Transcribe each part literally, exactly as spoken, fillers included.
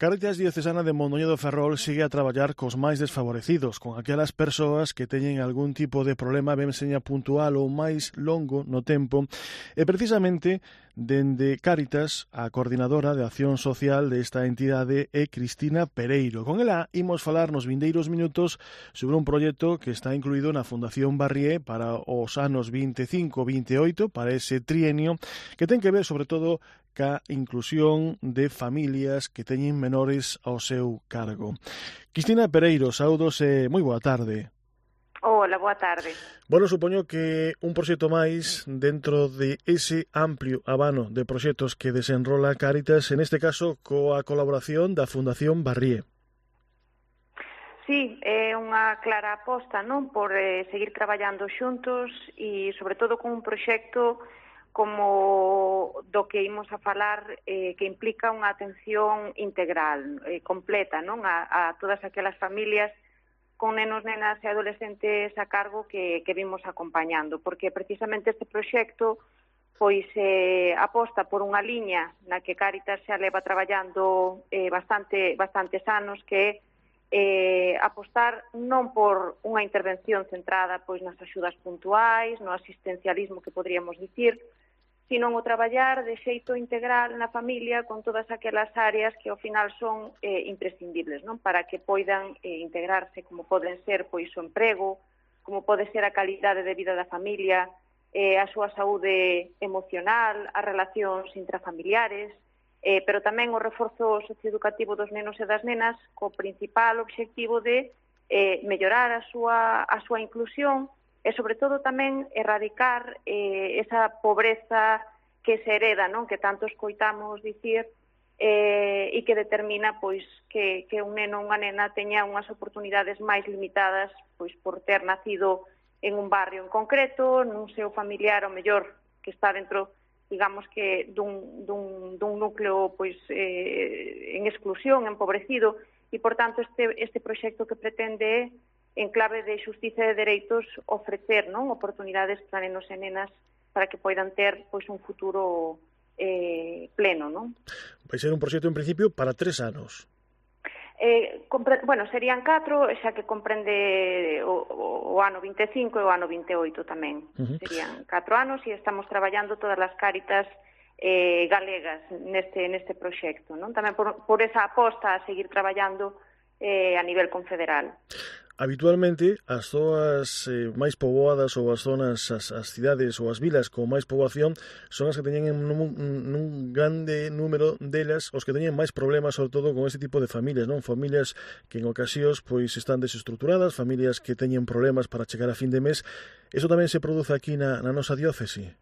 Cáritas Diocesana de Mondoñedo do Ferrol sigue a traballar cos máis desfavorecidos, con aquelas persoas que teñen algún tipo de problema, ben seña puntual ou máis longo no tempo, e precisamente dende Cáritas, a coordinadora de acción social desta entidade é Cristina Pereiro. Con ela imos falar nos vindeiros minutos sobre un proxecto que está incluído na Fundación Barrié para os anos vinte e cinco vinte e oito, para ese trienio, que ten que ver sobre todo ca inclusión de familias que teñen menores ao seu cargo. Cristina Pereiro, saúdos e moi boa tarde. Hola, boa tarde. Bueno, supoño que un proxecto máis dentro de ese amplio abano de proxectos que desenrola Cáritas, en este caso coa colaboración da Fundación Barrié. Sí, é unha clara aposta, non, por eh, seguir traballando xuntos e, sobre todo, con un proxecto como do que imos a falar, eh, que implica unha atención integral, eh, completa, non, a, a todas aquelas familias con nenos, nenas e adolescentes a cargo que, que vimos acompañando, porque precisamente este proxecto pois eh, aposta por unha liña na que Cáritas xa leva traballando eh, bastante bastantes anos, que é eh, apostar non por unha intervención centrada pois nas axudas puntuais, no asistencialismo que podríamos dicir, sino o traballar de xeito integral na familia con todas aquelas áreas que ao final son eh, imprescindibles, non, para que poidan eh, integrarse, como poden ser pois o emprego, como pode ser a calidade de vida da familia, eh, a súa saúde emocional, as relacións intrafamiliares, eh, pero tamén o reforzo socioeducativo dos nenos e das nenas co principal obxectivo de eh, mellorar a súa, a súa inclusión e, sobre todo, tamén erradicar eh, esa pobreza que se hereda, non, que tanto escoitamos dicir, eh, e que determina pois que, que un neno ou unha nena teña unhas oportunidades máis limitadas pois por ter nacido en un barrio en concreto, nun seu familiar, ao mellor, que está dentro, digamos que, dun, dun, dun núcleo pois eh, en exclusión, empobrecido, e, por tanto, este, este proxecto que pretende é, en clave de xustiza e de dereitos, ofrecer, non, oportunidades para nenos e nenas para que poidan ter pois un futuro eh, pleno, non? Vai ser un proxecto en principio para tres anos. Eh, compre... Bueno, serían catro, xa que comprende o, o, o ano vinte e cinco e o ano vinte e oito tamén. Uh-huh. Serían catro anos e estamos traballando todas as Cáritas eh, galegas neste, neste proxecto, non? Tamén por, por esa aposta a seguir traballando eh, a nivel confederal. Habitualmente, as zonas eh, máis poboadas ou as zonas, as, as cidades ou as vilas con máis poboación son as que teñen nun, nun grande número delas os que teñen máis problemas, sobre todo con este tipo de familias, non? Familias que en ocasións pois están desestructuradas, familias que teñen problemas para chegar a fin de mes. Eso tamén se produce aquí na, na nosa diócese?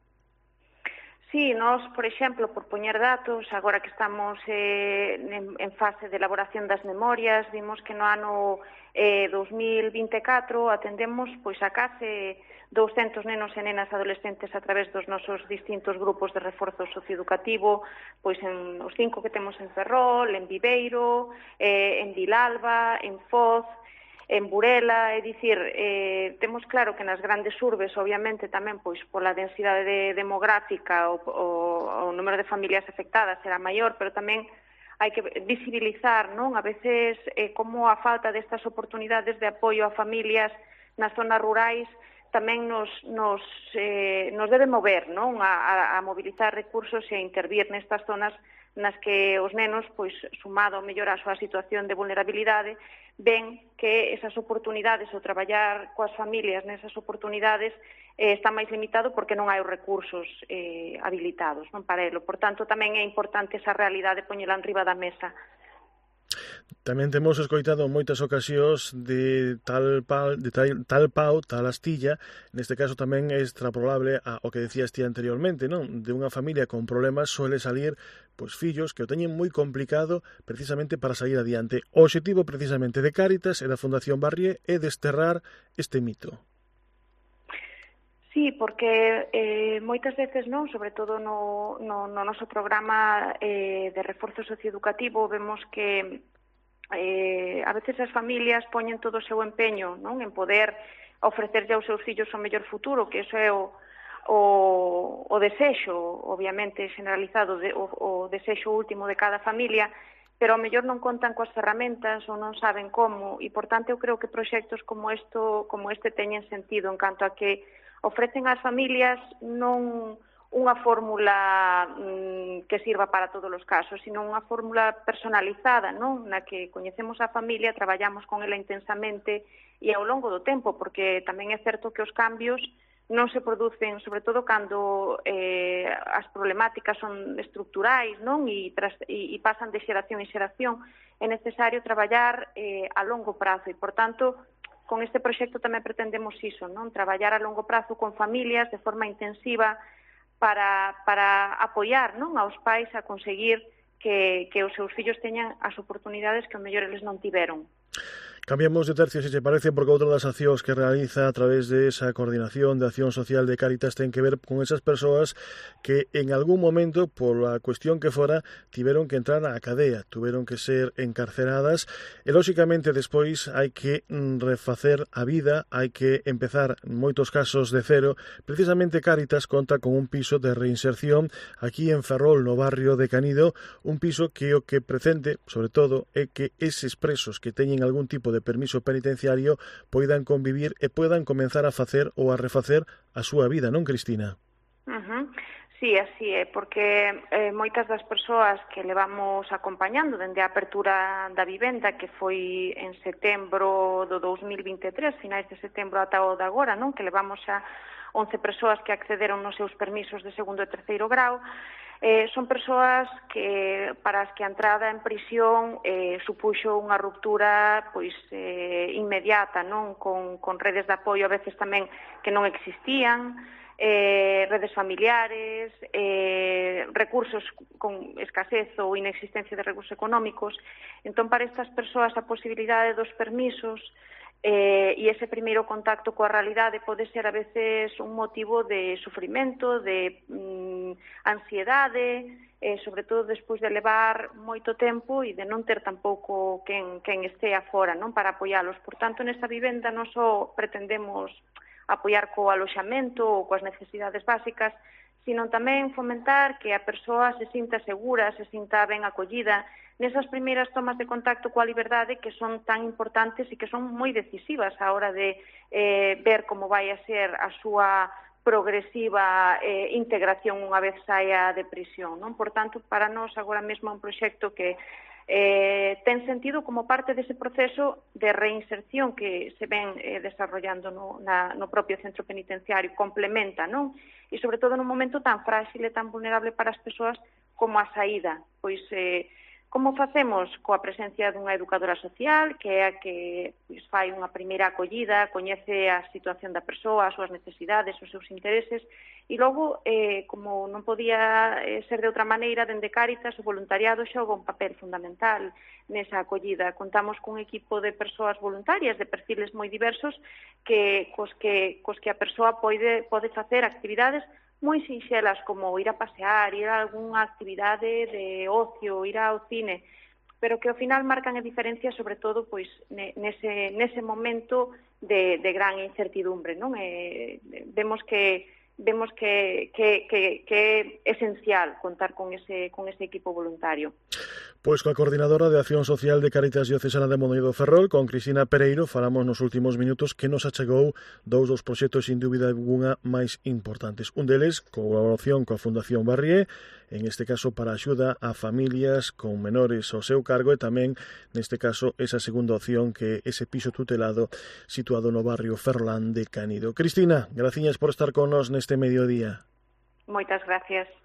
Sí, nós, por exemplo, por poñer datos, agora que estamos eh, en, en fase de elaboración das memorias, vimos que no ano eh, dos mil vinte e catro atendemos pois a case douscentos nenos e nenas adolescentes a través dos nosos distintos grupos de reforzo socioeducativo, pois en os cinco que temos en Ferrol, en Viveiro, eh, en Vilalba, en Foz, en Burela, é dicir, eh, temos claro que nas grandes urbes, obviamente, tamén pois pola densidade de, demográfica o, o, o número de familias afectadas será maior, pero tamén hai que visibilizar, non, a veces eh, como a falta destas oportunidades de apoio a familias nas zonas rurais tamén nos, nos, eh, nos debe mover, non, a, a mobilizar recursos e a intervir nestas zonas nas que os nenos, pois, sumado ao mellor a súa situación de vulnerabilidade, ven que esas oportunidades, o traballar coas familias nesas oportunidades, eh, está máis limitado porque non hai os recursos eh, habilitados, non, para elo. Por tanto, tamén é importante esa realidade poñela en riba da mesa. Tamén temos escoitado moitas ocasións de tal pau, de tal, tal pau, tal astilla, neste caso tamén é extrapolable a o que decías ti anteriormente, non? De unha familia con problemas suele salir pois fillos que o teñen moi complicado precisamente para sair adiante. O obxectivo precisamente de Cáritas e da Fundación Barrié é desterrar este mito. Sí, porque eh, moitas veces, non, sobre todo no, no, no noso programa eh, de reforzo socioeducativo, vemos que Eh, a veces as familias poñen todo o seu empeño, non, en poder ofrecerlle aos seus fillos o mellor futuro, que iso é o, o, o desexo, obviamente, generalizado, de, o, o desexo último de cada familia, pero ao mellor non contan coas ferramentas ou non saben como, e, por tanto, eu creo que proxectos como, esto, como este teñen sentido en canto a que ofrecen ás familias non unha fórmula mm, que sirva para todos os casos, sino unha fórmula personalizada, non? Na que coñecemos a familia, traballamos con ela intensamente e ao longo do tempo, porque tamén é certo que os cambios non se producen, sobre todo cando eh, as problemáticas son estructurais, non? E, tras, e, e pasan de xeración en xeración. É necesario traballar eh, a longo prazo e, por tanto, con este proxecto tamén pretendemos iso, non? Traballar a longo prazo con familias de forma intensiva para, para apoiar, non, aos pais a conseguir que, que os seus fillos teñan as oportunidades que ao mellor eles non tiveron. Cambiamos de tercio, se te parece, porque outra das accións que realiza a través de esa coordinación de acción social de Cáritas ten que ver con esas persoas que en algún momento, por a cuestión que fora, tiveron que entrar á cadea, tuveron que ser encarceradas e, lóxicamente, despois hai que refacer a vida, hai que empezar, en moitos casos, de cero. Precisamente Cáritas conta con un piso de reinserción aquí en Ferrol, no barrio de Canido, un piso que o que pretende, sobre todo, é que eses presos que teñen algún tipo de permiso penitenciario poidan convivir e poidan comenzar a facer ou a refacer a súa vida, non, Cristina? Uh-huh. Sí, así é, porque eh, moitas das persoas que levamos acompañando dende a apertura da vivenda, que foi en setembro do dous mil vinte e tres, finais de setembro ata o de agora, non? Que levamos xa once persoas que accederon nos seus permisos de segundo e terceiro grau. Eh, son persoas que para as que a entrada en prisión eh, supuxo unha ruptura pois eh, inmediata, non? Con, con redes de apoio a veces tamén que non existían, eh, redes familiares, eh, recursos con escasez ou inexistencia de recursos económicos. Entón, para estas persoas a posibilidade dos permisos Eh, e ese primeiro contacto coa realidade pode ser a veces un motivo de sufrimento, de mm, ansiedade, eh, sobre todo despois de levar moito tempo e de non ter tampouco quen, quen este afora, non, para apoialos. Por tanto, nesta vivenda non só pretendemos apoiar co aloxamento ou coas necesidades básicas, sino tamén fomentar que a persoa se sinta segura, se sinta ben acollida, nesas primeiras tomas de contacto coa liberdade que son tan importantes e que son moi decisivas á hora de eh, ver como vai a ser a súa progresiva eh, integración unha vez saia de prisión, non? Por tanto, para nós agora mesmo é un proxecto que eh, ten sentido como parte dese proceso de reinserción que se ven eh, desarrollando no, na, no propio centro penitenciario, complementa, non? E sobre todo nun momento tan frágil e tan vulnerable para as persoas como a saída, pois eh, como facemos? Coa presencia dunha educadora social, que é a que pois, fai unha primeira acollida, coñece a situación da persoa, as súas necesidades, os seus intereses, e logo, eh, como non podía eh, ser de outra maneira, dende Cáritas, o voluntariado xoga un papel fundamental nesa acollida. Contamos cun equipo de persoas voluntarias, de perfiles moi diversos, que cos que, cos que a persoa pode, pode facer actividades moi sinxelas como ir a pasear, ir a algunha actividade de ocio, ir ao cine, pero que ao final marcan a diferencia sobre todo pois nese, nese momento de, de gran incertidumbre, non? E, vemos que vemos que, que, que, que é esencial contar con ese, con ese equipo voluntario. Pois coa coordinadora de Acción Social de Cáritas Diocesana de Mondoñedo Ferrol, con Cristina Pereiro, falamos nos últimos minutos que nos achegou dous dos proxectos sin dúbida alguna máis importantes. Un deles, colaboración coa Fundación Barrié, en este caso para axuda a familias con menores ao seu cargo, e tamén, neste caso, esa segunda opción que ese piso tutelado situado no barrio Ferrolán de Canido. Cristina, graciñas por estar con nos neste mediodía. Moitas gracias.